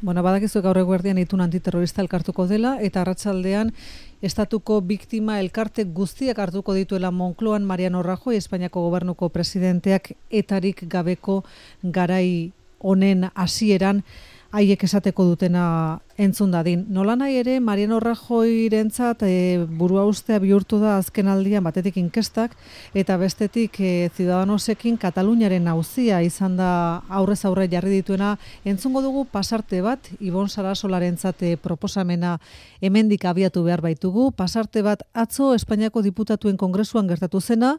Bueno, badakizu gaur eguerdian itun antiterrorista elkartuko dela, eta arratsaldean estatuko biktima elkarte guztiak hartuko dituela Moncloan Mariano Rajoy, Espainiako gobernuko presidenteak etarik gabeko garai honen hasieran haiek esateko dutena entzun dadin. Nolanahi ere, Mariano Rajoyrentzat burua ustea bihurtu da azken aldian batetik inkestak, eta bestetik Ciudadanosekin Kataluniaren auzia izan da aurrez aurre jarri dituena. Entzungo dugu pasarte bat, Ibon Sarasolarentzat proposamena hemendik abiatu behar baitugu. Pasarte bat atzo Espainiako diputatuen kongresuan gertatu zena.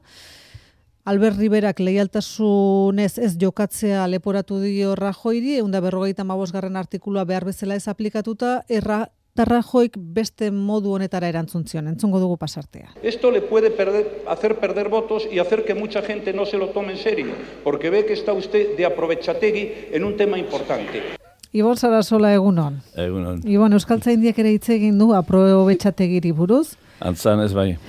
Albert Riberak leialtasunez ez jokatzea leporatu dio Rajoyri, 155. artikulua behar bezala ez aplikatuta, Rajoyk beste modu honetara erantzun zion. Entzungo dugu pasartea. Esto le puede hacer perder votos y hacer que mucha gente no se lo tome en serio, porque ve que está usted de aprovechategui en un tema importante. Ibon Sarasola, egunon. Egunon. Ibon, Euskaltzaindiak ere hitz egin du aprobetxategiri buruz. Antzan ez bai.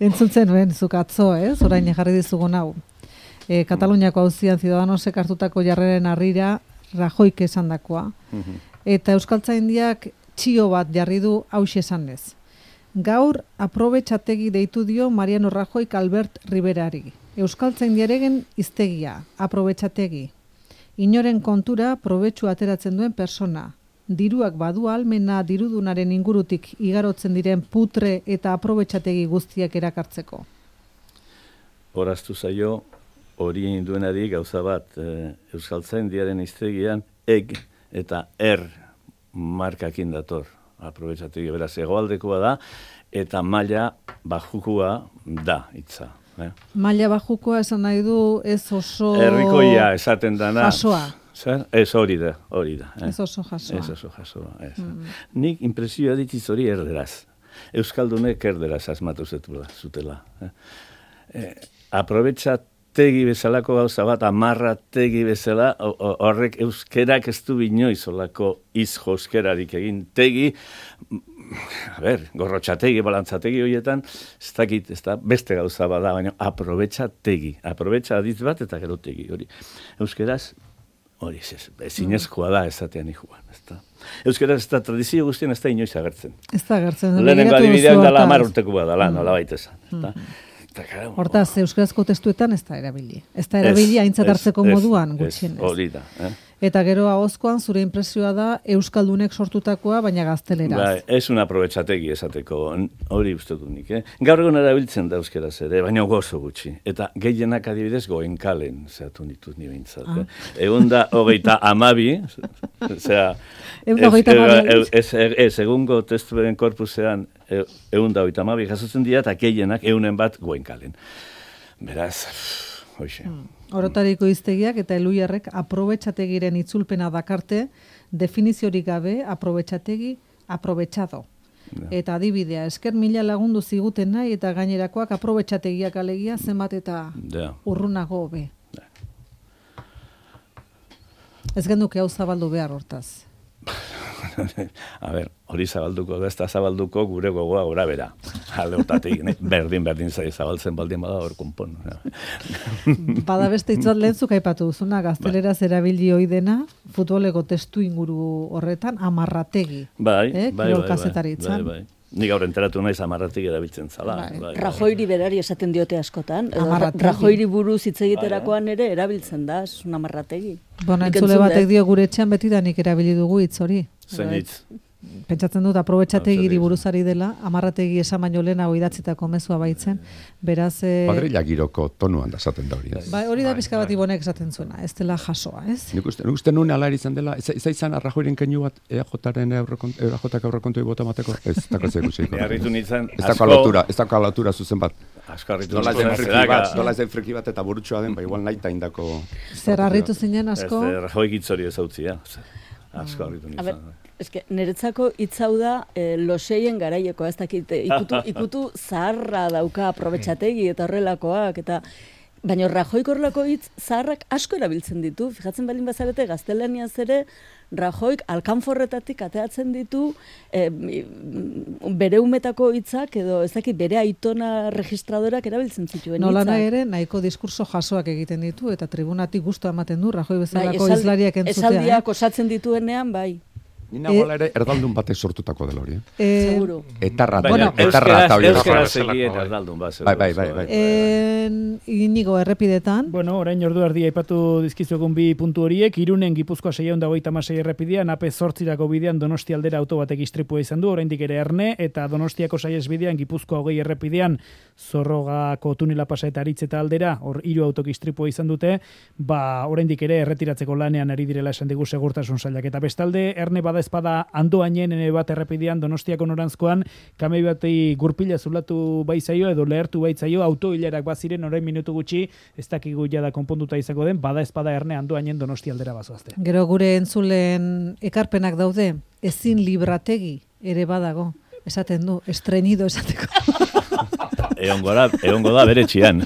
Entzuntzen nuen, zuk atzo, orain jarri dizugun hau. Kataluniako auzian Ciudadanosek hartutako jarreren harrira Rajoyk esandakoa. Eta Euskaltzaindiak txio bat jarri du hauxe esanez. Gaur aprobetxategi deitu dio Mariano Rajoyk Albert Riberari. Euskaltzaindiaregen hiztegia, aprobetxategi. Inoren kontura probetxu ateratzen duen persona. Diruak badu almena dirudunaren ingurutik igarotzen diren putre eta aprobetxategi guztiak erakartzeko. Horaztu zaio, hori induenari gauza bat, Euskaltzaindiaren hiztegian eg eta markakin dator. Aprobetxategi beraz hegoaldekoa da, eta maila bajukua da hitza. Maila bajukoa esan nahi du ez oso... Herrikoia esaten dana... Jasoa. Zer? Ez hori da. Ez oso jasoa. Ez oso jasoa. Nik impresioa ditiz hori erderaz. Euskaldunek erderaz asmatu zutela. Aprobetxategi bezalako gauza bat, amarrategi bezala, horrek euskerak ez du binoiz olako izjoskerarik egin. Tegi, gorrotxategi, balantzategi horietan, ez dakit, ez da beste gauza bada, baina aprobetxategi. Aprobetxa aditz bat eta gero tegi hori. Euskeraz, hori ezinezkoa da esatean ikuan. Euskaraz ez da tradizio guztien ez da inoiz agertzen. Ez da agertzen. Lehenengo adibidean dala 10 urtekoa dala, nola baita esan. Hortaz, euskarazko testuetan ez da erabili. Ez da erabili aintzat hartzeko moduan gutxienez. Hori da. Eta gero ahozkoan zure impresioa da euskaldunek sortutakoa, baina gazteleraz. Bai, ez un aprobetxategi esateko, hori uste dut nik. Gaur egun erabiltzen da euskaraz ere, baina gozo gutxi. Eta gehienak adibidez goenkalen, zehatu ditut ni behintzat. 132, osea... Ez, egungo testuaren korpusean 132 jasotzen dira, eta gehienak 100 bat goenkalen. Beraz, hoxe. Orotariko hiztegiak eta Eluiarrek aprobetxategiren itzulpena dakarte, definiziorik gabe aprobetxategi, aprobetxado. Eta adibidea, esker 1000 lagundu ziguten nahi eta gainerakoak aprobetxategiak alegia zenbat eta urrunago hobe. Ez genduke hau zabaldu behar hortaz. A ber, hori zabalduko da, ez da zabalduko gure gogoa gora bera. Aldeotatik, berdin zabaltzen baldin bada hor konpon. Bada beste itzat lehentzuk aipatu duzuna, gazteleraz erabili hoi dena, futboleko testu inguru horretan, amarrategi. Bai. Nik gaur enteratu naiz amarrategi erabiltzen zala. Rajoyri berari esaten diote askotan. Rajoyri buruz hitz egiterakoan ere erabiltzen da, un amarrategi. Bona, entzule batek dio gure etxean beti da nik erabili dugu hitz hori. Zen hitz. Pentsatzen dut aprobetxategiri buruzari dela, amarrategi esan baino lehenago idatzitako mezua baitzen, beraz... Kuadrilla giroko tonuan da esaten da hori. Hori da pixka bat Ibonek esaten zuena, ez dela jasoa, ez? Nik uste nuen ala izan dela, ez izan Rajoyren keinu bat EAJaren aurrekontoi bota mateko, ez dakratzea ikusiko. Ez dako lotura zuzen bat. Nola ez den friki bat eta burutxoa den, igual nahi indako... Zer harritu zinen asko? Rajoy gitzori ez hautzia, asko harritu nintzen. Niretzako hitz hau da loseien garaieko, ez dakit, ikutu zaharra dauka aprobetxategi eta horrelakoak, eta Baina Rajoik horrelako hitz zaharrak asko erabiltzen ditu, fijatzen balin bazarete gaztelaniaz ere, Rajoik alkanforretatik ateatzen ditu bere umetako hitzak edo ez dakit bere aitona registradorak erabiltzen zituen hitzak. Nolana ere nahiko diskurso jasoak egiten ditu eta tribunatik gustu ematen du Rajoi bezalako hizlariak entzutea. Esaldiak osatzen dituenean, bai. Nina gola ere erdaldun batek sortutako dela hori. Seguro. Etarra eta hori erdaldun bat. Bai. Inigo errepidetan. Bueno, orain ordu erdi aipatu dizkizuegun bi puntu horiek, Irunen Gipuzkoa 626 errepidean, AP 8 bidean Donostia aldera auto batek istripua izan du, oraindik ere Erne, eta Donostiako saihesbidean Gipuzkoa 20 errepidean Zorrogako tunela pasa eta Aritzeta aldera, hor 3 autok istripua izan dute, oraindik ere erretiratzeko lanean ari direla esan digu segurtasun sailak. Eta bestalde, Erne bada espada Andoainen bat errepidean Donostiako norantzkoan, kamei batei gurpila zulatu baizaio edo lehertu baitzaio autoilerak baziren orain minutu gutxi, ez dakigu jada konponduta izango den, bada espada Erne Andoainen Donostia aldera bazoazte. Gero gure entzulen ekarpenak daude, ezin librategi ere badago, esaten du, estreñido esateko. Egongo da bere txian.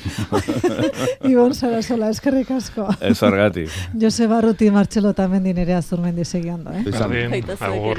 Ibon Sarasola, eskerrik asko. Ez horgatik. Jose Barruti, Martxelo Tamendi nere Azurmendi segiando. Agur.